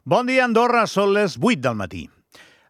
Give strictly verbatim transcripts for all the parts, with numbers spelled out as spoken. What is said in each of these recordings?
Bon dia, Andorra. Són les vuit del matí.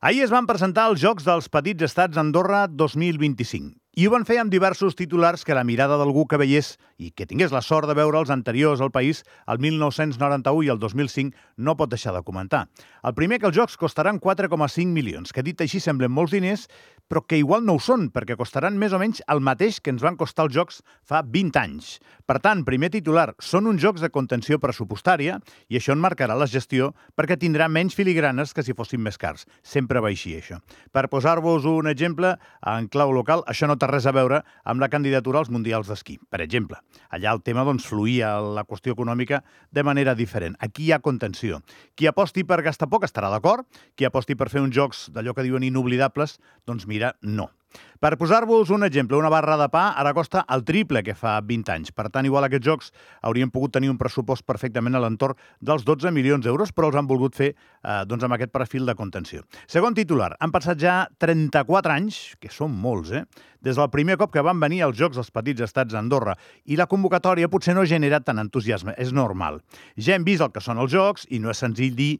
Ahir es van presentar els Jocs dels Petits Estats Andorra dos mil vint-i-cinc i ho van fer amb diversos titulars que la mirada d'algú que veiés i que tingués la sort de veure els anteriors al país, el mil nou-cents noranta-u i el dos mil cinc, no pot deixar de comentar. El primer, que els jocs costaran quatre coma cinc milions, que dit així semblen molts diners, però que igual no ho són, perquè costaran més o menys el mateix que ens van costar els jocs fa vint anys. Per tant, primer titular, són uns jocs de contenció pressupostària i això en marcarà la gestió perquè tindrà menys filigranes que si fossin més cars. Sempre va així, això. Per posar-vos un exemple, en clau local, això no té res a veure amb la candidatura als Mundials d'Esquí, per exemple. Allà el tema doncs, fluïa la qüestió econòmica de manera diferent. Aquí hi ha contenció. Qui aposti per gastar poc estarà d'acord, qui aposti per fer uns jocs d'allò que diuen inoblidables, doncs mira, no. Per posar-vos un exemple, una barra de pa ara costa el triple que fa vint anys. Per tant, igual aquests jocs haurien pogut tenir un pressupost perfectament a l'entorn dels dotze milions d'euros, però els han volgut fer eh, doncs amb aquest perfil de contenció. Segon titular, han passat ja trenta-quatre anys, que són molts, eh? Des del primer cop que van venir els Jocs dels Petits Estats d'Andorra, i la convocatòria potser no ha generat tant entusiasme, és normal. Ja hem vist el que són els jocs i no és senzill dir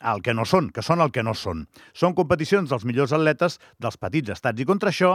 el que no són, que són el que no són. Són competicions dels millors atletes dels petits estats i contra això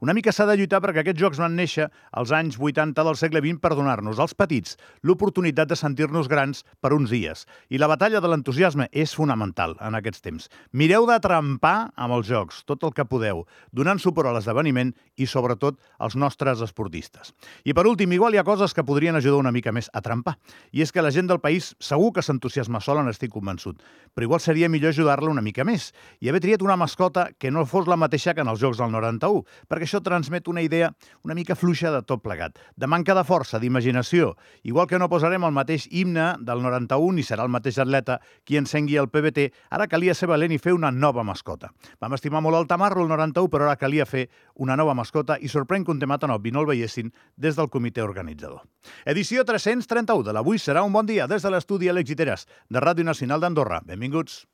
una mica s'ha de lluitar perquè aquests jocs van néixer als anys vuitanta del segle vint per donar-nos als petits l'oportunitat de sentir-nos grans per uns dies. I la batalla de l'entusiasme és fonamental en aquests temps. Mireu de trempar amb els jocs, tot el que podeu, donant suport a l'esdeveniment i sobretot als nostres esportistes. I per últim, igual hi ha coses que podrien ajudar una mica més a trempar. I és que la gent del país segur que s'entusiasma sola, n'estic convençut. Però igual seria millor ajudar-la una mica més i haver triat una mascota que no fos la mateixa que en els Jocs del noranta-u, perquè això transmet una idea una mica fluixa de tot plegat, de manca de força, d'imaginació. Igual que no posarem el mateix himne del noranta-u ni serà el mateix atleta qui encengui el P B T, ara calia ser valent i fer una nova mascota. Vam estimar molt el Tamarro, el noranta-u, però ara calia fer una nova mascota i sorprèn que un tema tan obvi no el veiessin des del comitè organitzador. Edició tres-cents trenta-u de l'Avui serà un bon dia des de l'estudi Àlex Guiteras, de Ràdio Nacional d'Andorra. Benvinguts.